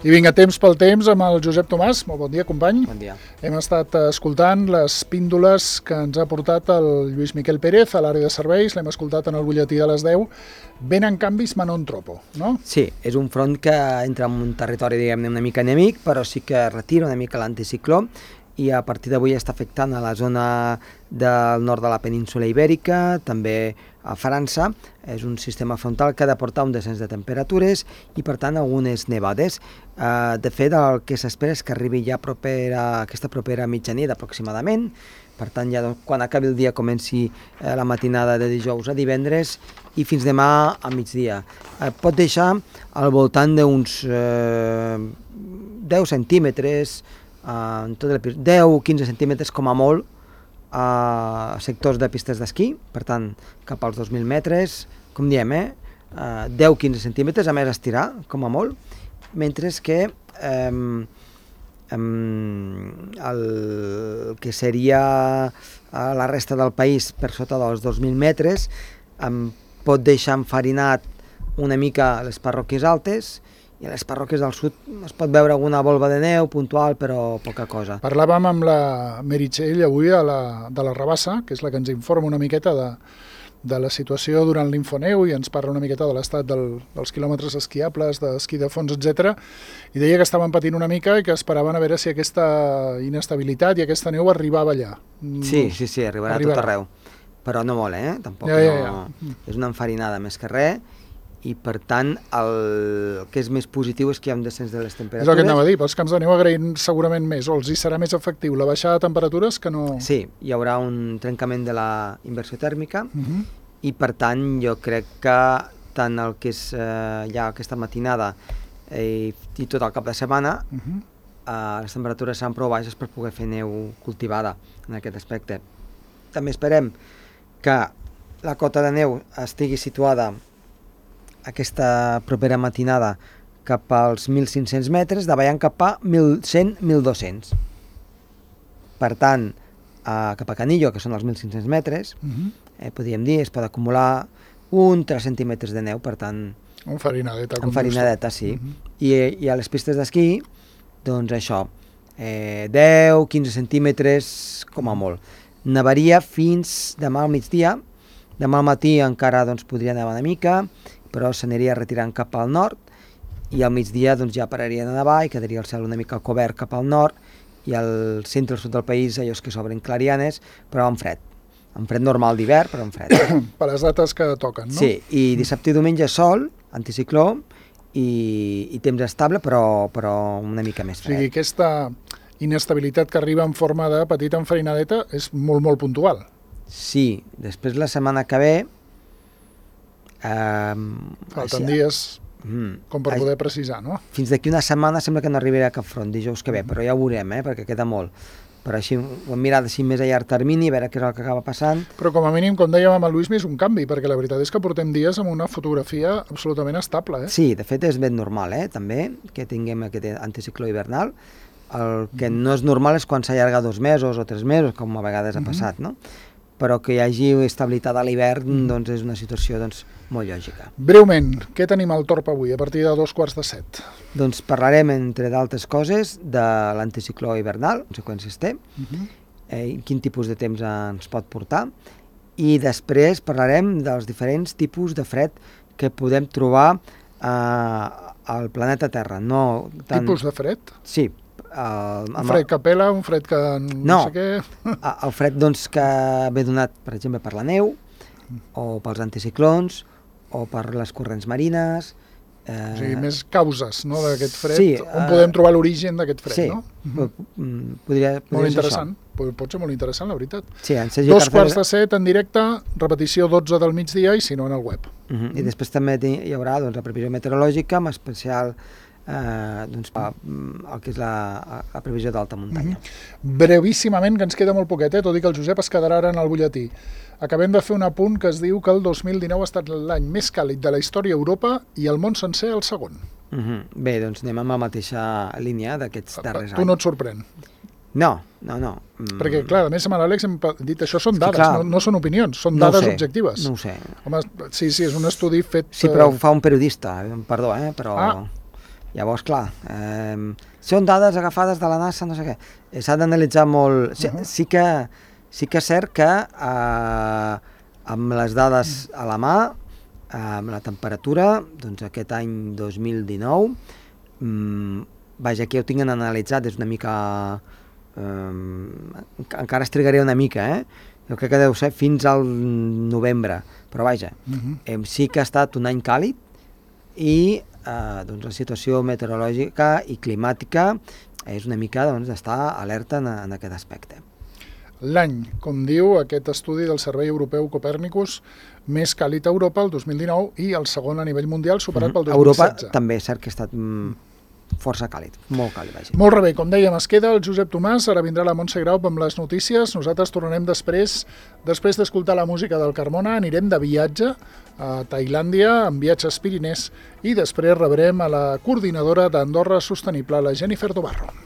I vinga, temps pel temps amb el Josep Tomàs. Molt bon dia, company. Bon dia. Hem estat escoltant les píndoles que ens ha portat el Lluís Miquel Pérez a l'àrea de serveis. L'hem escoltat en el butlletí de les 10. Venen canvis ma non tropo, no? Sí, és un front que entra en un territori, diguem-ne, una mica enemic, però sí que retira una mica l'anticicló i a partir d'avui està afectant a la zona del nord de la península Ibèrica, també a França. És un sistema frontal que ha de portar un descens de temperatures i, per tant, algunes nevades. De fet, el que s'espera és que arribi ja aquesta propera mitjanit aproximadament. Per tant, ja quan acabi el dia comenci la matinada de dijous a divendres i fins demà a migdia. Pot deixar al voltant d'uns 10 centímetres, 10-15 centímetres com a molt, a sectors de pistes d'esquí, per tant, cap als 2.000 metres, com diem, 10-15 centímetres, a més estirar, com a molt, mentre que el que seria la resta del país per sota dels 2.000 metres pot deixar enfarinat una mica les parròquies altes, i a les parròquies del sud es pot veure alguna volva de neu puntual, però poca cosa. Parlàvem amb la Meritxell avui de la Rabassa, que és la que ens informa una miqueta de la situació durant l'Infoneu i ens parla una miqueta de l'estat dels quilòmetres esquiables, d'esquí de fons, etc. I deia que estaven patint una mica i que esperaven a veure si aquesta inestabilitat i aquesta neu arribava allà. Sí, arribarà a tot arreu, però no molt, tampoc. Ja. És una enfarinada més que res. I per tant el que és més positiu és que hi ha un descens de les temperatures. És el que anava a dir, pels camps de neu agraïm segurament més, o els hi serà més efectiu la baixada de temperatures que no... Sí, hi haurà un trencament de la inversió tèrmica i per tant jo crec que tant el que és ja aquesta matinada i tot el cap de setmana les temperatures seran prou baixes per poder fer neu cultivada en aquest aspecte. També esperem que la cota de neu estigui situada aquesta propera matinada cap als 1.500 metres, davallant cap a 1.100-1.200. Per tant, cap a Canillo, que són els 1.500 metres, podríem dir, es pot acumular 3 centímetres de neu, per tant... Enfarinadeta. Enfarinadeta, sí. I a les pistes d'esquí, doncs això, 10-15 centímetres com a molt. Nevaria fins demà al migdia. Demà al matí encara podria nevar una mica, però s'aniria retirant cap al nord i al migdia ja pararia de nevar i quedaria el cel una mica cobert cap al nord i al centre i al sud del país allò que s'obren clarianes, però amb fred. Amb fred normal d'hivern, però amb fred. Per les dates que toquen, no? Sí, i dissabte i diumenge sol, anticicló i temps estable, però una mica més fred. O sigui, aquesta inestabilitat que arriba en forma de petita enfarinadeta és molt, molt puntual. Sí, després la setmana que ve... Falten dies com per poder precisar, no? Fins d'aquí una setmana sembla que no arribarà a cap front dijous que ve, però ja ho veurem, perquè queda molt. Però així ho hem mirat així més a llarg termini, a veure què és el que acaba passant. Però com a mínim, com dèiem amb el Lluís, és un canvi, perquè la veritat és que portem dies amb una fotografia absolutament estable. Sí, de fet és ben normal, també, que tinguem aquest anticicló hivernal. El que no és normal és quan s'allarga 2 mesos o 3 mesos, com a vegades ha passat, no? Però que hi hagi estabilitat a l'hivern és una situació molt lògica. Breument, què tenim al Torp avui, a partir de 6:45? Doncs parlarem, entre d'altres coses, de l'anticicló hivernal, conseqüències té, quin tipus de temps ens pot portar, i després parlarem dels diferents tipus de fred que podem trobar al planeta Terra. Tipus de fred? Sí. Un fred que pela, un fred que no sé què... El fred que ve donat, per exemple, per la neu, o pels anticiclons, o per les corrents marines... O sigui, més causes d'aquest fred, sí, on podem trobar l'origen d'aquest fred, no? Sí, podria molt interessant, pot ser molt interessant, la veritat. Sí, 6:45 en directe, repetició 12 del migdia i si no en el web. I després també hi haurà la previsió meteorològica, amb especial el que és la previsió d'alta muntanya. Brevíssimament, que ens queda molt poquet, tot i que el Josep es quedarà ara en el butlletí. Acabem de fer un apunt que es diu que el 2019 ha estat l'any més càlid de la història a Europa i el món sencer el segon. Bé, doncs anem amb la mateixa línia d'aquests darrers anys. Tu no et sorprèn? No. Perquè, clar, a més amb l'Àlex hem dit això són dades, no són opinions, són dades objectives. No ho sé. Home, sí, és un estudi fet... Sí, però ho fa un periodista, perdó, però... Llavors, clar, són dades agafades de la NASA, no sé què. S'ha d'analitzar molt... Sí que és cert que amb les dades a la mà, amb la temperatura, doncs aquest any 2019, vaja, aquí ho tinc analitzat, és una mica... encara es trigaré una mica, jo crec que deu ser fins al novembre, però vaja, sí que ha estat un any càlid i doncs la situació meteorològica i climàtica és una mica d'estar alerta en aquest aspecte. L'any, com diu aquest estudi del Servei Europeu Copèrnicus, més càlid a Europa el 2019 i el segon a nivell mundial superat pel 2016. Europa també és cert que ha estat força càlid, molt càlid, vaja. Molt bé, com dèiem, es queda el Josep Tomàs, ara vindrà la Montse Grau amb les notícies, nosaltres tornarem després d'escoltar la música del Carmona, anirem de viatge a Tailàndia, amb viatges Pirinès, i després rebrem a la coordinadora d'Andorra Sostenible, la Jennifer Dobarro.